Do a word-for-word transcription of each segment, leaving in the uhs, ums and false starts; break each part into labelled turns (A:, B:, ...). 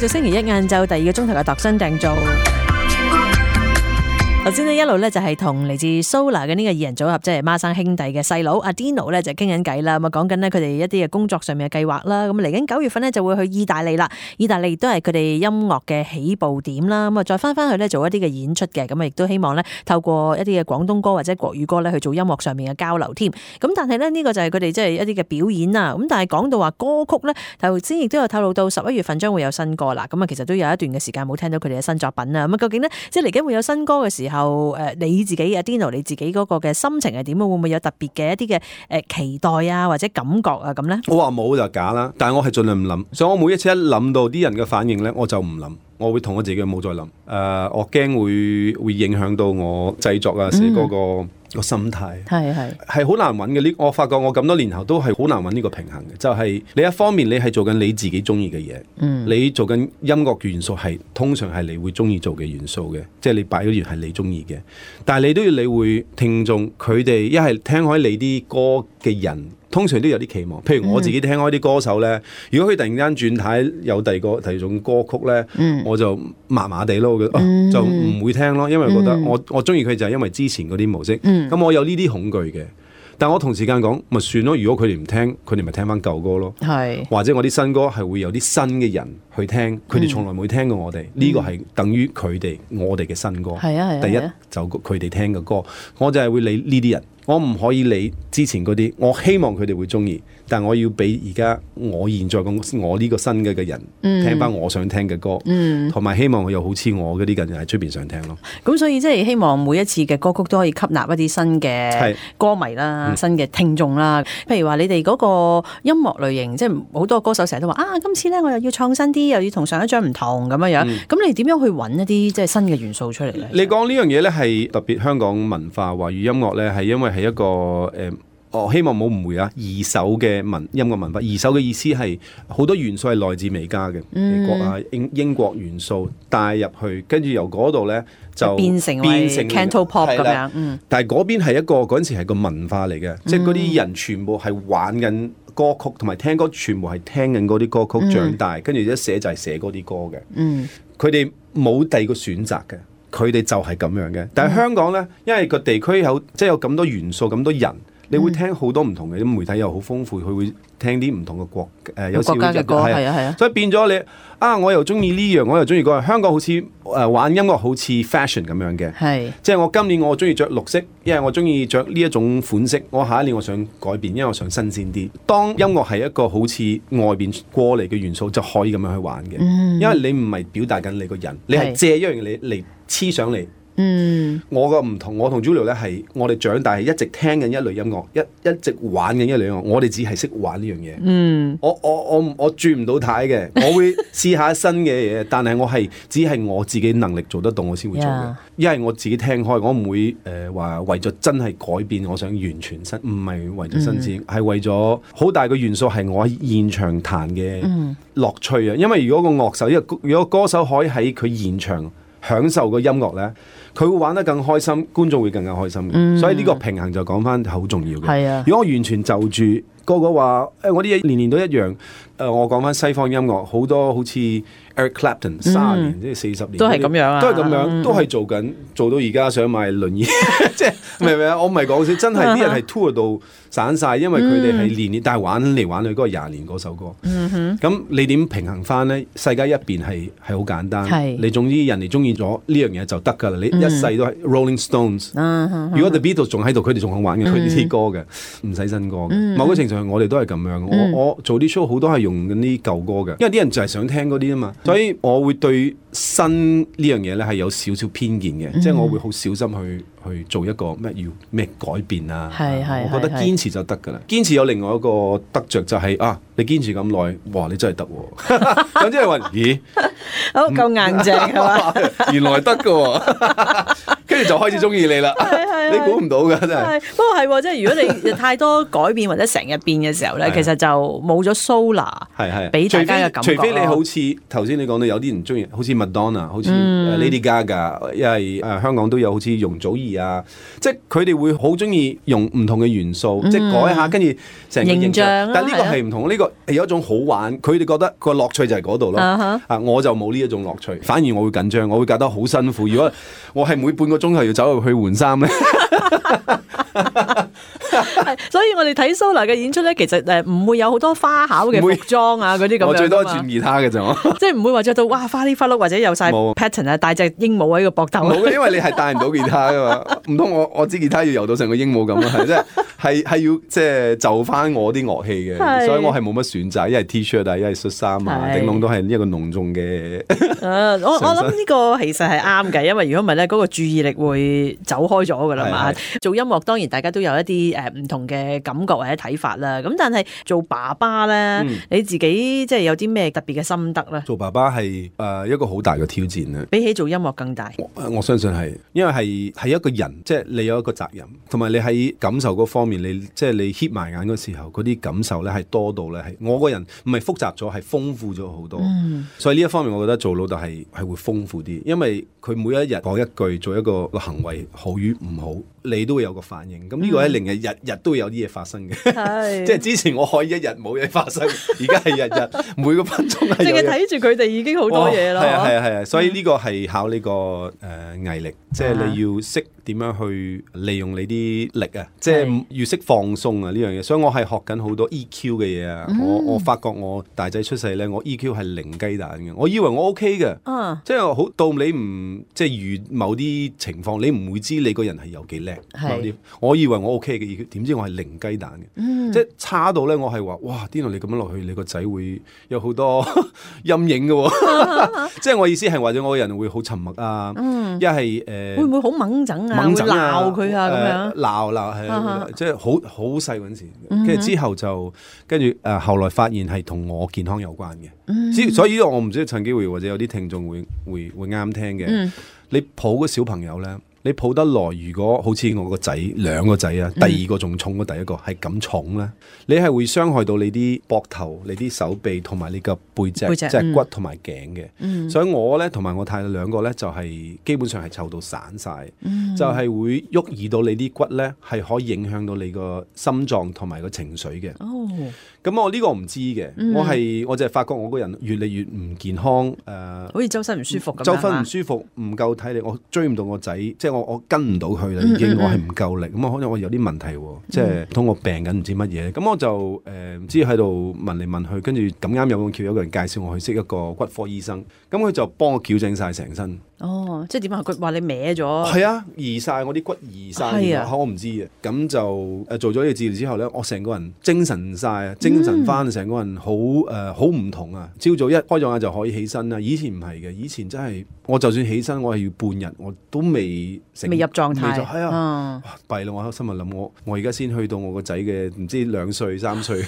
A: 繼續星期一晏晝第二個鐘頭嘅度身訂造。頭先呢一路咧就係同嚟自 Solar 嘅呢個二人組合，即係孖生兄弟嘅細佬阿 Dino 咧就傾緊偈啦。咁啊講緊呢佢哋一啲嘅工作上面嘅計劃啦。咁嚟緊九月份呢就會去意大利啦。意大利亦都係佢哋音樂嘅起步點啦。咁啊再翻翻去咧做一啲嘅演出嘅。咁啊亦都希望咧透過一啲嘅廣東歌或者國語歌咧去做音樂上面嘅交流添。咁但係咧呢個就係佢哋即係一啲嘅表演啊。咁但係講到話歌曲咧，頭先亦都有透露到十一月份將會有新歌啦。咁啊其實都有一段嘅時間冇聽到佢哋嘅新作品啊。咁啊究竟呢？即係嚟緊會有新歌嘅時候？後誒你自己阿 Dino 你自己嗰個嘅心情係點？會唔會有特別嘅一啲嘅誒期待啊，或者感覺啊咁咧？
B: 我話冇就假啦，但係我係盡量唔諗，所以我每一次一諗到啲人嘅反應咧，我就唔諗，我會同我自己冇再諗。誒、呃，我驚會會影響到我製作啊、寫歌個、嗯、個心態。係係係好難揾嘅呢。我發覺我咁多年後都係好難揾呢個平衡嘅，就係、是、你一方面你係做緊你自己中意嘅嘢，嗯、你做緊音樂元素係通常係你會中意做嘅元素嘅，即係你擺嗰啲係你中意嘅，但係你都要理會聽眾佢哋一係聽開你啲歌嘅人。通常都有啲期望，譬如我自己聽開啲歌手咧，如果佢突然間轉態有第二個第二種歌曲咧，嗯、我就麻麻地咯，我覺得、嗯啊、就唔會聽咯，因為覺得我我中意佢就係因為之前嗰啲模式，咁、嗯、我有呢啲恐懼嘅。但我同時間講，咪算咯。如果佢哋唔聽，佢哋咪聽翻舊歌咯。係，或者我啲新歌係會有啲新嘅人去聽，佢哋從來冇聽過我哋。呢、嗯、個係等於佢哋我哋嘅新歌。係啊係啊。第一就佢哋聽嘅歌，我就係會理呢啲人。我唔可以理之前嗰啲，我希望佢哋會中意，但我要俾而家我現在咁我呢個新嘅嘅人、嗯、聽翻我想聽嘅歌，同埋、嗯、希望佢又好似我嗰啲人喺出邊想聽咯。咁
A: 所以即係希望每一次嘅歌曲都可以吸納一啲新嘅歌迷啦、嗯、新嘅聽眾啦。譬如話你哋嗰個音樂類型，即係好多歌手成日都話啊，今次咧我又要創新啲，又要同上一張唔同咁樣樣。咁、嗯、你點樣去揾一啲即係新嘅元素出嚟咧？
B: 你講呢樣嘢咧係特別香港文化華語音樂咧，係因為係一個誒、呃，我希望冇誤會啊！二手嘅文音樂文化，二手嘅意思係好多元素係來自美加嘅，美國啊英英國元素帶入去，跟住由嗰度咧就
A: 變成變成 Cantopop 咁樣。嗯，
B: 但係嗰邊係一個嗰陣時係個文化嚟嘅，嗯、即係嗰啲人全部係玩緊歌曲，同埋聽歌全部係聽緊嗰啲歌曲長大，跟住、嗯、一寫就係寫嗰啲歌嘅。嗯，佢哋冇第二個選擇嘅。佢哋就係咁樣嘅，但係香港呢，因為個地區有即係有咁多元素、咁多人，你會聽好多唔同嘅，啲媒體又好豐富，佢會聽啲唔同嘅國誒、呃、有時會
A: 國家嘅歌，係啊係啊，
B: 所以變咗你啊，我又中意呢樣，我又中意嗰樣。香港好似誒、呃、玩音樂好似 fashion 咁樣嘅，係即係我今年我中意着綠色，因為我中意着呢一種款式，我下一年我想改變，因為我想新鮮啲。當音樂係一個好似外邊過嚟嘅元素，就可以咁樣去玩嘅，嗯、因為你唔係表達緊你個人，你係借一樣嘢嚟黐上嚟。嗯，我個唔同，我同 Julio 咧係我哋長大係一直聽緊一類音樂，一一直玩緊一類音樂，我哋只係識玩呢樣嘢。嗯，我我我我轉唔到軚嘅，我會試下新嘅嘢，但係我係只係我自己能力做得到，我先會做嘅。因為 Yeah. 我自己聽開，我唔會誒話、呃、為咗真係改變，我想完全新，唔係為咗新鮮，係、嗯、為咗好大嘅元素係我喺現場彈嘅樂趣啊！因為如果個樂手，因為如果歌手可以喺佢現場享受個音樂咧，佢會玩得更開心，觀眾會更加開心嘅。嗯、所以呢個平衡就講翻好重要嘅。係啊，如果我完全就住個個話，誒、欸、我啲嘢年年都一樣。誒、呃、我講翻西方音樂，好多好似 Eric Clapton 三十年，即係四十年，
A: 都係咁樣啊，
B: 都係咁樣，嗯、都係做緊，做到而家想買輪椅，即係明唔明啊？我唔係講笑，真係啲人係 tour 到散晒，因為佢哋係年年，但係玩嚟玩去嗰個廿年嗰首歌。咁、嗯、哼你點平衡翻咧？世界一邊係係好簡單，是你總之人哋中意咗呢樣嘢就得㗎啦。你一世都係 Rolling Stones、嗯。如果 The Beatles 仲喺度，佢哋仲肯玩嘅，佢哋啲歌嘅，唔使新歌嘅。嗯、某個程度上，我哋都係咁樣。嗯、我我做啲 show 好多係用緊啲舊歌嘅，因為啲人就係想聽嗰啲啊嘛。所以我會對新呢樣嘢咧係有少少偏見嘅，嗯、即係我會好小心去去做一個咩要咩改變啊。係係，我覺得堅持就得㗎啦。堅持有另外一個得着就係、是、啊，你堅持咁耐，哇！你真係得喎。咁即係話，咦？
A: 好夠硬淨係嘛？
B: 原來得㗎喎。跟住就開始中意你啦。
A: 係
B: 你估唔到㗎真係。
A: 係不過係喎，即係如果你太多改變或者成日變嘅時候咧，其實就冇咗 Solar
B: 係係
A: 俾大家嘅感覺。
B: 除非你好似頭先你講到有啲人中意，好似麥當娜，好似 Lady Gaga，因為誒香港都有好似容祖兒啊，即係佢哋會好中意用唔同嘅元素，即係改下，跟住成個形象。但係呢個係唔同，呢個係有一種好玩，佢哋覺得個樂趣就係嗰度咯。啊，我就冇呢一種樂趣，反而我會緊張，我會覺得好辛苦。如果我係每半個鐘頭要走入去換衫咧。
A: 所以我哋睇 Solar 嘅演出咧，其實誒唔會有好多花巧嘅服裝啊嗰啲咁樣。
B: 我最多轉吉他嘅啫，
A: 即係唔會話着到哇花哩花碌或者有晒 pattern 啊，帶隻鸚鵡喺個膊頭。
B: 冇嘅，因為你係帶唔到吉他噶嘛，唔通我我支吉他要游到成個鸚鵡咁啊？係即係係係要即係就翻我啲樂器嘅，所以我係冇乜選擇，一係 T-shirt 啊，一係恤衫啊，頂籠都係一個濃重嘅。
A: 誒，我我諗呢個其實係啱嘅，因為如果唔係咧，嗰個注意力會走開咗噶啦嘛。做音樂當然大家都有一啲誒唔同嘅感覺或者睇法啦。咁但係做爸爸咧，嗯、你自己即係有啲咩特別嘅心得咧？
B: 做爸爸係誒一個好大嘅挑戰啊！
A: 比起做音樂更大。
B: 我，我相信係，因為係係一個人，即係你有一個責任，同埋你喺感受嗰方面，你即係你 hit 埋眼嗰時候，嗰啲感受咧係多到咧係我個人唔係複雜咗，係豐富咗好多。嗯、所以呢一方面，我覺得做老豆係係會豐富啲，因為佢每一日講一句，做一個個行為好與唔好，你都會有個反應。咁呢個咧令日日日都會有啲嘢發生嘅。
A: 係
B: 即係之前我可以一日冇嘢發生，而家係日日每個分鐘係。淨
A: 係睇住佢哋已經好多嘢啦。
B: 係啊係啊係啊，所以呢個係考呢、呢個誒、呃、毅力，即係你要識點樣去利用你啲力啊，即係要識放鬆啊呢樣嘢。所以我係學緊好多 E Q 嘅嘢啊。嗯、我我發覺我大仔出世咧，我 E Q 係零雞蛋嘅。我以為我 OK 嘅，嗯、即係好到你唔即係遇某啲情況，你唔會知你個人係有幾叻。某啲我以為我 OK 嘅 E Q，點知我係零雞蛋嘅，嗯、即係差到咧，我係話哇，Dino你咁樣落去，你個仔會有好多陰影嘅、哦。即係我意思係或者我個人會好沉默啊，一係誒
A: 會唔會好掹整啊？會鬧佢啊咁樣？
B: 鬧鬧係即係好好細嗰陣時，跟住、嗯、之後就跟住誒後來發現係同我健康有關嘅，嗯、所以呢個我唔知趁機會或者有啲聽眾會會會啱聽嘅。嗯、你抱個小朋友咧。你抱得耐，如果好似我個仔兩個仔啊，第二個仲重過第一個，係咁、嗯、重咧，你係會傷害到你啲膊頭、你啲手臂同埋你個背脊，即係骨同埋頸嘅。嗯、所以我咧同埋我太太兩個咧就係、是、基本上係湊到散晒，嗯、就係會喐移到你啲骨咧，係可以影響到你個心臟同埋個情緒嘅。哦，咁我呢個唔知嘅，嗯、我係我就係發覺我個人越嚟越唔健康，誒、呃，
A: 好似周身唔舒服咁，
B: 周身唔舒服，唔夠體力，我追唔到我仔，即係我我跟唔到佢啦，已經、嗯嗯嗯、我係唔夠力，咁啊可能我有啲問題，即係通過病緊唔知乜嘢，咁我就誒唔、呃、知喺度問嚟問去，跟住咁啱有個橋有個人介紹我去識一個骨科醫生，咁佢就幫我矯正晒成身。哦，
A: 即係點啊？佢話你歪咗？
B: 係啊，移晒我啲骨移晒，啊、我唔知嘅。咁就誒做咗呢個治療之後咧，我成個人精神晒啊，精神翻，成、嗯、個人好誒好唔同啊！朝早一開咗眼就可以起身啦，以前唔係嘅，以前真係我就算起身，我係要半日我都未成
A: 未入狀態。
B: 係啊，弊啦、嗯！我心入諗，我我而家先去到我個仔嘅唔知兩歲三歲，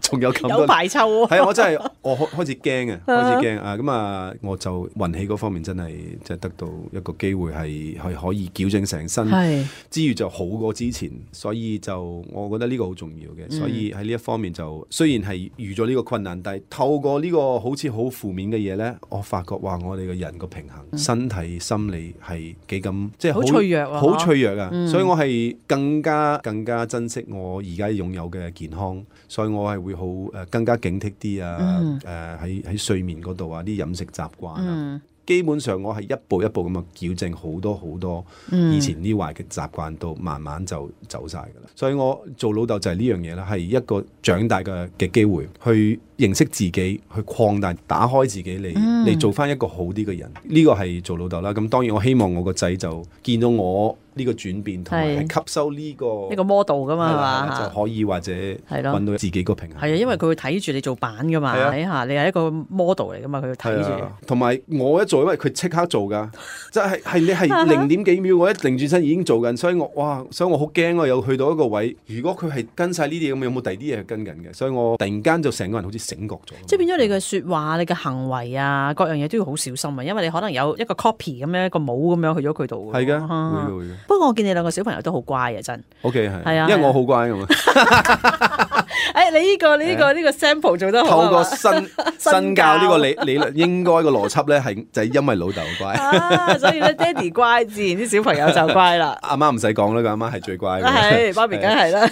B: 仲有咁多
A: 有排抽喎。
B: 係啊，我真係我開開始驚啊，開始驚啊！咁啊，我就運氣嗰方面真係。即係得到一個機會係係可以矯正成身，是之餘就好過之前，所以就我覺得呢個好重要嘅。嗯、所以喺呢一方面就雖然係遇咗呢個困難，但係透過呢個好似好負面嘅嘢咧，我發覺話我哋嘅人個平衡、嗯、身體、心理係幾咁即係好脆弱啊！好脆弱啊！嗯、所以我係更加更加珍惜我而家擁有嘅健康，所以我係會好誒、呃、更加警惕啲啊！誒喺喺睡眠嗰度啊，啲飲食習慣啊。嗯基本上我係一步一步咁啊矯正好多好多以前啲壞嘅習慣，到慢慢就走晒噶啦。所以我做老豆就係呢樣嘢啦，係一個長大嘅嘅機會，去認識自己，去擴大、打開自己嚟嚟、嗯、做翻一個好啲嘅人。呢、這個係做老豆啦。咁當然我希望我個仔就見到我呢個轉變，同埋係吸收呢、這個
A: 呢個 model 噶嘛，係嘛，
B: 就可以或者揾到自己個平衡。
A: 係啊，因為佢會睇住你做版噶嘛，睇下你係一個 model 嚟噶嘛，佢會睇住。同
B: 埋我一做，因為佢即刻做噶，即係係你係零點幾秒，我一擰轉身已經做緊，所以我哇，所以我好驚我有去到一個位。如果佢係跟晒呢啲咁，有冇第二啲嘢跟緊嘅？所以我突然間就成個人好似醒覺咗。
A: 即係變咗你嘅説話、你嘅行為啊，各樣嘢都要好小心啊，因為你可能有一個 copy 咁樣一個帽咁樣去咗佢度。
B: 係㗎，會嘅會嘅。
A: 不過我見你兩個小朋友都好乖啊，真。
B: O K 係，
A: 係啊，
B: 因為我好乖㗎嘛。
A: 誒，你呢個你呢個呢個 sample 做得好。
B: 透過身身教呢個理理論，應該個邏輯咧係就係因為老豆乖。
A: 啊，所以咧爹哋乖，自然啲小朋友就乖啦。
B: 阿媽唔使講啦，個阿媽係最乖嘅。
A: 係，媽咪梗係啦。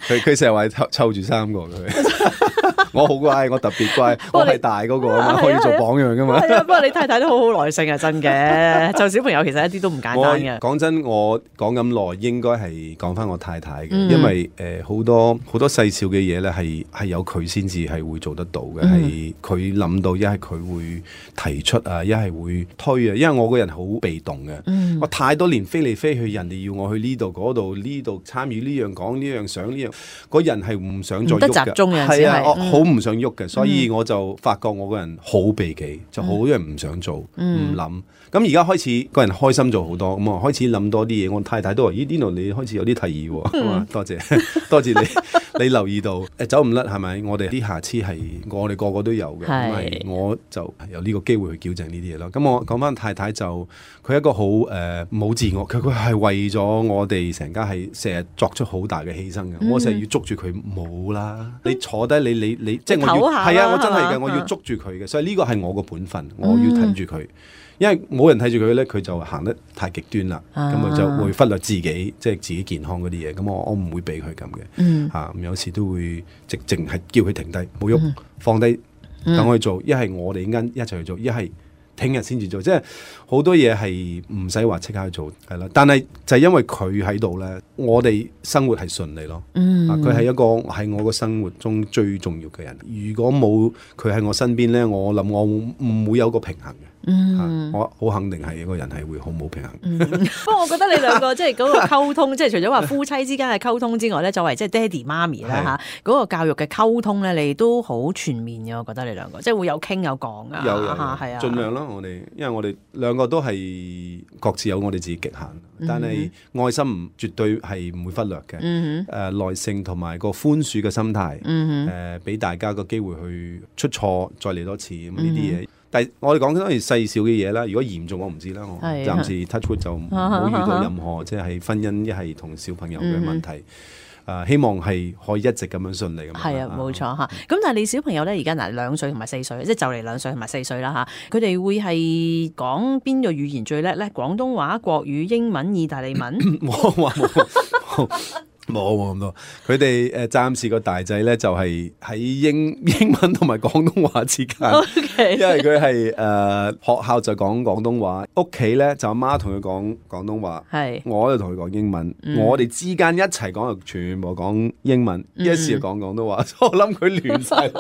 B: 佢佢成日話湊湊住三個佢。我好乖，我特別乖，我係大嗰個啊嘛，可以做榜樣噶嘛。
A: 係啊，不過你太太都好好耐性啊，真嘅。就小朋友其實一啲都唔簡單嘅。
B: 講真，我講咁耐，應該係講翻我太太嘅，
A: 嗯、
B: 因為誒好、呃、多好多細小嘅嘢咧，係係有佢先至係會做得到嘅，係佢諗到，一係佢會提出啊，一係會推啊。因為我個人好被動嘅，嗯、我太多年飛嚟飛去，人哋要我去呢度嗰度呢度參與呢樣講呢樣想呢樣，個人係唔想再喐嘅，唔得集中嘅，係啊，我好唔想喐嘅，所以我就發覺我個人好避忌，就好多人唔想做，唔諗。咁而家開始個人開心咗好多，咁啊開始諗多啲嘢。我太太都話：咦，呢度你開始有啲提議喎。咁啊，多謝多謝你，你留意到誒走唔甩係咪？我哋啲瑕疵係我哋個個都有嘅，咁係我就有呢個機會去矯正呢啲嘢咯。咁我講翻太太就佢係一個好誒冇自我，佢佢係為咗我哋成家係成日作出好大嘅犧牲嘅。嗯、我成日要捉住佢冇啦，你坐低你你你即係我要係啊，我真係嘅，我要捉住佢嘅，所以呢個係我個本分，我要睇住佢。因為冇人睇住佢咧，佢就行得太極端啦，咁啊就會忽略自己，即係自己健康嗰啲嘢。咁我我唔會俾佢咁嘅，嚇、嗯啊、有時都會直淨係叫佢停低，冇喐，嗯、放低，等我去做。一係我哋啱一齊去做，一係聽日先至做。即係好多嘢係唔使話即刻去做，係啦。但係就係因為佢喺度咧，我哋生活係順利咯。嗯，佢係、啊、一個喺我個生活中最重要嘅人。如果冇佢喺我身邊咧，我諗我唔會有個平衡嘅。嗯，我好肯定係一個人係會好冇平衡。
A: 嗯、不過我覺得你兩個即係嗰個溝通，即係除咗話夫妻之間嘅溝通之外咧，作為即係爹哋媽咪啦嚇，嗰是個教育嘅溝通咧，你都好全面嘅。我覺得你兩個即係會有傾有講啊，
B: 有有係
A: 啊，
B: 盡量咯。我哋因為我哋兩個都係各自有我哋自己極限，嗯、但係愛心絕對係唔會忽略嘅。誒、嗯哼呃、耐性同埋個寬恕嘅心態，誒俾、嗯哼呃、大家個機會去出錯再嚟多次咁呢啲嘢。但係我哋講緊都係細小嘅嘢啦，如果嚴重我唔知啦，我暫時 touch wood 就冇遇到任何即係婚姻一係同小朋友嘅問題。誒、嗯呃，希望係可以一直咁樣順利咁。係啊，
A: 冇錯嚇。咁但係你小朋友咧，而家嗱兩歲同埋四歲，即係就嚟兩歲同埋四歲啦嚇。佢哋會係講邊個語言最叻咧？廣東話、國語、英文、意大利文。
B: 冇話冇。冇冇咁多，佢哋誒暫時個大仔咧就係喺英英文同埋廣東話之間，Okay. 因為佢係誒學校就講廣東話，屋企咧就阿媽同佢講廣東話，係是我就同佢講英文，嗯、我哋之間一齊講就全部講英文，嗯、一時就講廣東話，我諗佢亂晒。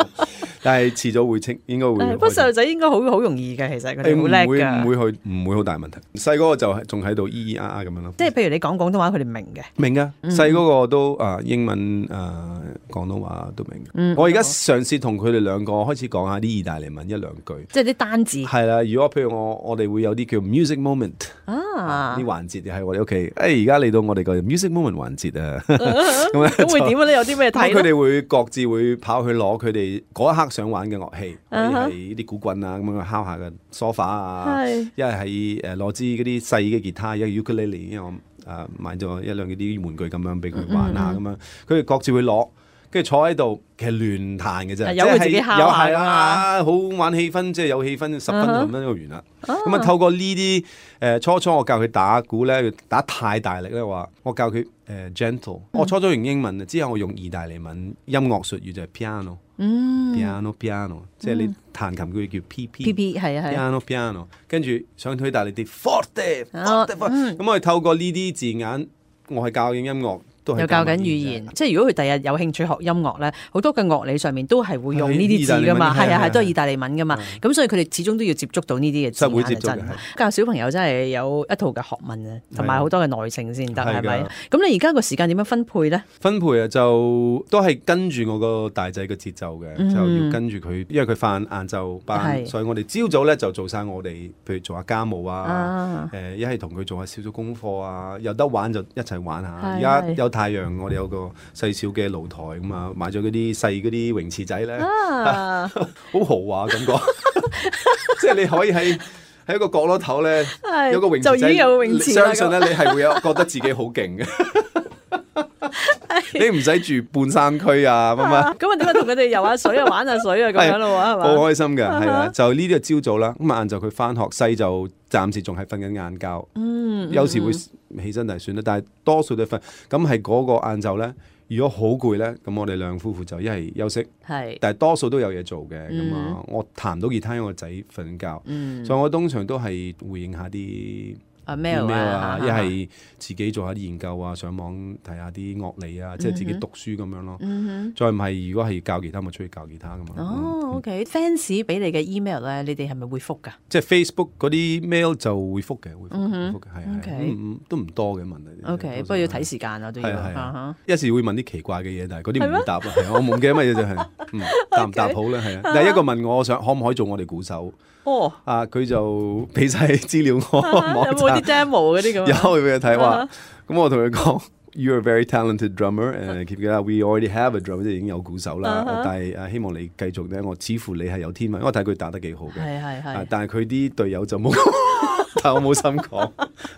B: 但係遲早會清，應該會。不過細路仔應該好好容易嘅，其實佢哋好叻㗎，唔會唔會去，唔會好大問題。細嗰個就係仲喺度咿咿啊啊咁樣咯。即係譬如你講廣東話，佢哋明嘅。明㗎，細嗰個都啊英文啊廣東話都明。嗯、我而家嘗試同佢哋兩個開始講下啲意大利文一兩句。即係啲單字。係啦，如果譬如我我哋會有啲叫 music moment 啊啲環節，係我哋屋企。誒而家嚟到我哋個 music moment 環節啊。咁咁會點咧？有啲咩睇？佢哋會各自會跑去攞佢哋嗰一刻想玩嘅樂器，係係啲鼓棍啊，咁樣敲下嘅梳化啊，一係係誒攞支嗰啲細嘅吉他，一係 ukulele，因為我誒、呃、買咗一兩嗰啲玩具咁樣俾佢玩下咁、嗯、樣，佢哋各自會攞，跟住坐喺度，其實亂彈嘅啫，有佢自己敲下啊，好玩氣氛，即係有氣氛，十分鐘咁就完啦。咁啊透過呢啲誒初初我教佢打鼓咧，打太大力咧話，我教佢誒、呃、gentle、嗯。我初初用英文之後我用意大利文音樂術語就係 piano。嗯 piano piano 即係你彈琴佢叫 P P P P 係啊係 piano piano 跟住想推大力啲 forte forte forte 咁我哋透過呢啲字眼，我係教緊音樂。又教緊語言，即係如果佢第日有興趣學音樂咧，好多嘅樂理上面都係會用呢啲字噶嘛，係啊係都係意大利文噶嘛，咁所以佢哋始終都要接觸到呢啲嘅字眼。真教小朋友真係有一套嘅學問啊，同埋好多嘅耐性先得，係咪？咁你而家個時間點樣分配咧？分配啊，就都係跟住我個大仔嘅節奏嘅，就要跟住佢，因為佢翻晏晝班，所以我哋朝早咧就做晒我哋，譬如做下家務啊，誒一係同佢做下少少功課啊，有得玩就一齊玩下。而家有太陽，我哋有個細小嘅露台咁啊，買咗嗰啲細嗰啲泳池仔咧，好、啊、豪華感覺，即係你可以喺喺一個角落頭咧，
A: 係
B: 有個泳池仔，
A: 就已經有泳池啦
B: 相信咧你係會有覺得自己好勁嘅。你唔使住半山區啊，乜乜
A: 咁啊？點解同佢哋游下水啊、玩下水啊咁樣咯？係嘛？
B: 好開心嘅，係
A: 啊
B: 啊，就呢啲係朝早啦。咁啊晏晝佢翻學，細就暫時仲係瞓緊晏覺。
A: 嗯，
B: 有時會起身就算啦，但係多數都瞓。咁係嗰個晏晝咧，如果好攰咧，咁我哋兩夫婦就一係休息，
A: 係，
B: 但係多數都有嘢做嘅。咁
A: 嗯
B: 啊，我彈到吉他，因為我仔瞓覺，
A: 嗯，
B: 所以我通常都係回應下啲
A: 啊 mail
B: email
A: 啊
B: 啊，一係自己做下啲研究啊，上網睇下啲樂理啊，即係自己讀書咁樣咯。
A: 嗯
B: 再唔係，如果係教吉他，咪出去教吉他噶嘛。
A: 哼，哦，OK，fans 俾你嘅 email 咧，你哋係咪會覆㗎？
B: 即係 Facebook 嗰啲 mail 就會覆嘅，會覆
A: 嗯哼
B: 嘅，會覆嘅，係係
A: OK
B: 嗯嗯都唔多嘅問題。
A: OK，不過要睇時間啊，都要。
B: 係啊係啊
A: 啊哈
B: 一時會問啲奇怪嘅嘢，但係嗰啲唔
A: 係咩
B: 會答啊。係啊我唔記得乜嘢就係，嗯，答唔答好咧？係啊。第一個問我想可唔可以做我哋鼓手
A: 哦，
B: 啊？佢就俾晒資料我網
A: 有冇啲
B: 站，
A: demo 嗰啲咁啊？
B: 有俾佢睇話
A: 啊。
B: 咁我同佢講，You're a very talented drummer，誒 keep it up。We already have a drummer，即係已經有鼓手啦。
A: 啊哈
B: 但係誒希望你繼續咧，我似乎你係有天分，因為我睇佢打得幾好嘅。
A: 係係
B: 啊
A: 係。
B: 但係佢啲隊友就冇，但係我冇心講。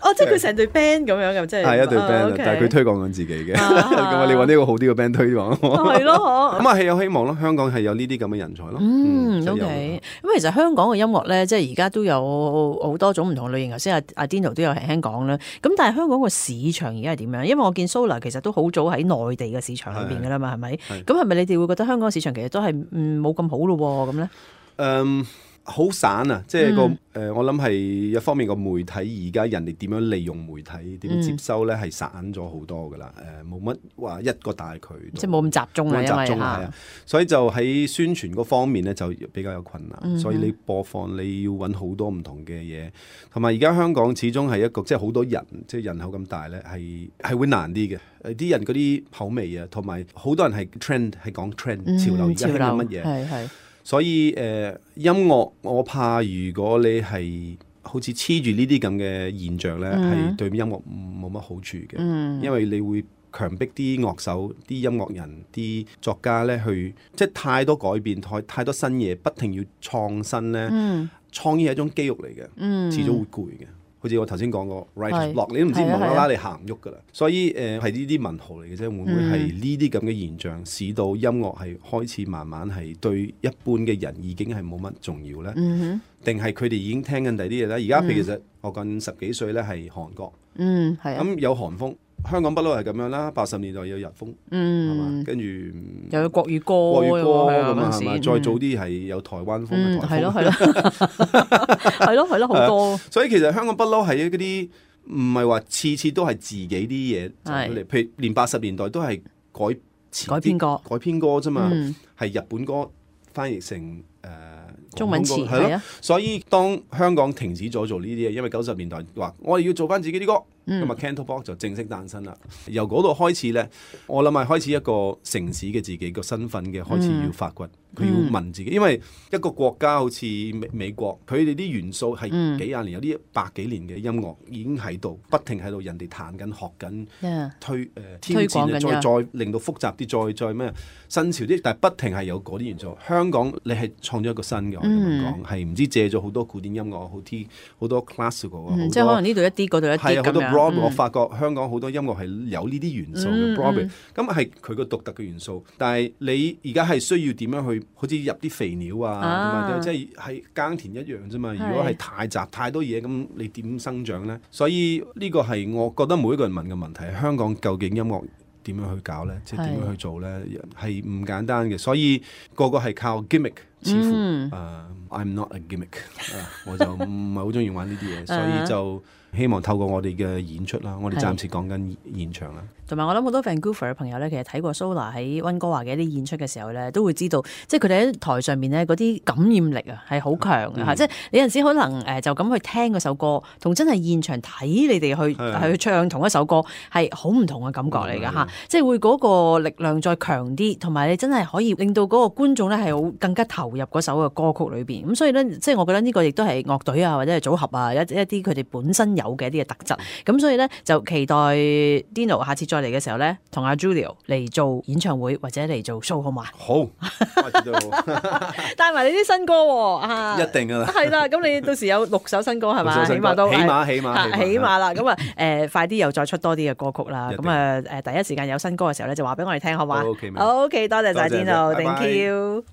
A: 哦，即係佢成隊 band 咁樣嘅，即係。
B: 係一隊 band，
A: 啊，OK
B: 但係佢推廣緊自己嘅。
A: 啊
B: 咁啊，你揾呢個好啲嘅 band 推廣。
A: 係咯，嗬。
B: 咁啊係有希望咯，香港係有呢啲咁嘅人才咯。
A: 嗯
B: 真係有
A: ，OK。咁其實香港嘅音樂咧，即係而家都有好多種唔同類型。頭先阿阿 Dino 都有輕輕講啦。咁但係香港個市場而家係點樣？因為我見 Solar 其實都好早喺內地嘅市場裏邊㗎啦嘛，係咪？
B: 係
A: 咁係咪你哋會覺得香港市場其實都係嗯冇咁好咯喎？咁咧？
B: 誒好散啊！即係個誒、
A: 嗯
B: 呃我諗係一方面個媒體而家人哋點樣利用媒體，點樣接收咧係散咗好多噶啦。誒冇乜話一個大渠道，
A: 即係冇咁集中啦，
B: 冇咁
A: 因為
B: 集中啊，係
A: 嚇
B: 啊。所以就喺宣傳嗰方面咧就比較有困難。
A: 嗯
B: 所以你播放你要揾好多唔同嘅嘢，同埋而家香港始終係一個即係好多人，即係人口咁大咧，係係會難啲嘅。誒啲人嗰啲口味啊，同埋好多人係 trend 係講 trend
A: 嗯
B: 潮流，而家興
A: 潮流
B: 緊乜嘢？
A: 係係
B: 所以誒、呃、音樂，我怕如果你係好似黐住呢啲咁嘅現象咧，係、
A: 嗯
B: 對音樂冇乜好處嘅，
A: 嗯
B: 因為你會強迫啲樂手、啲音樂人、啲作家咧去，即係太多改變、太太多新嘢，不停要創新咧。
A: 嗯
B: 創意係一種肌肉嚟嘅，
A: 嗯
B: 遲早會攰嘅。好似我頭先講過 writer's
A: 係
B: block，你都唔知
A: 係啊
B: 無啦啦
A: 係啊
B: 你行唔喐噶啦。所以誒係呢啲文豪嚟嘅啫，會唔會係呢啲咁嘅現象，使到音樂係開始慢慢係對一般嘅人已經係冇乜重要咧？
A: 嗯
B: 定係佢哋已經聽緊第啲嘢咧？而家譬如其實我講十幾歲咧係韓國，
A: 嗯係啊
B: 咁有韓風，香港不嬲係咁樣啦。八十年代有日風，係嘛、
A: 嗯，
B: 跟住
A: 又有國語歌
B: 國語歌
A: 係啊
B: 咁啊，係嘛？
A: 嗰陣時
B: 再早啲係有台灣風
A: 嗯
B: 嘅台風。
A: 係咯係咯係咯係咯好多
B: 所以其實香港不嬲係嗰啲唔係話次次都係自己啲嘢走出嚟，譬如連八十年代都係改詞啲
A: 改編歌
B: 改編歌啫嘛，
A: 嗯
B: 係、日本歌翻譯成誒、呃、
A: 中文詞
B: 廣東歌係咯
A: 係啊。
B: 所以當香港停止咗做呢啲嘢，因為九十年代話我哋要做翻自己啲歌，
A: 嗯
B: 咁啊 Cantopop 就正式誕生啦。由嗰度開始咧，我諗係開始一個城市嘅自己個身份嘅開始要發掘。佢要問自己，因為一個國家好似美美國，佢哋啲元素係幾廿年，有啲百幾年嘅音樂已經喺度，不停喺度，人哋彈緊、學緊、
A: Yeah
B: 推誒、呃、挑
A: 推廣緊
B: 戰啊，再
A: 㗎
B: 再令到複雜啲，再再咩新潮啲，但係不停係有嗰啲元素。香港你係創咗一個新嘅，我咁樣講，係唔知借咗好多古典音樂，好啲好多 classical 啊，好
A: 嗯即係可能呢度一啲，嗰度一
B: 係啊，好多
A: 啲咁樣
B: Broadway，、我
A: 嗯
B: 發覺香港好多音樂係有呢啲元素嘅
A: 嗯
B: Broadway，咁係佢個獨特嘅元素。但係你而家係需要點樣去，好似入啲肥料啊，
A: 啊
B: 同埋即係係耕田一樣啫嘛。如果係太雜太多嘢，咁你點生長咧？所以呢個係我覺得每一個人問嘅問題：香港究竟音樂點樣去搞咧？即係點樣去做咧？係唔簡單嘅。所以個個係靠 gimmick，似乎誒、
A: 嗯
B: uh, I'm not a gimmick，、uh, 我就唔係好中意玩呢啲嘢，所以就。希望透過我哋嘅演出啦，我哋暫時講緊現場啦。
A: 同埋我諗好多 Vancouver 嘅朋友咧，其實睇過 Solar 喺溫哥華嘅一啲演出嘅時候咧，都會知道，即係佢哋喺台上面咧嗰啲感染力啊係好強嘅嚇。
B: 嗯、
A: 即係你有陣時可能誒就咁去聽嗰首歌，同真係現場睇你哋去係去唱同一首歌係好唔同嘅感覺嚟㗎嚇。即係會嗰個力量再強啲，同埋你真係可以令到嗰個觀眾咧係好更加投入嗰首嘅歌曲裏邊。咁所以咧，即係我覺得呢個亦都係樂隊啊或者係組合啊一一啲佢哋本身有嘅一啲嘅特質。咁所以咧就期待 Dino 下次再嚟嘅時候咧，同阿 Julio 嚟做演唱會或者嚟做 show 好嘛？
B: 好，下次都好
A: 帶埋你啲新歌喎啊！
B: 一定噶啦。
A: 係啦，咁你到時有六首新歌係嘛？起碼都
B: 起碼起碼
A: 係起碼啦。咁啊誒，快啲又再出多啲嘅歌曲啦。咁啊誒，第一時間有新歌嘅時候咧，就話俾我哋聽好嘛？
B: OK，
A: OK，多謝晒
B: 多謝
A: Dino，Thank
B: 拜拜
A: you。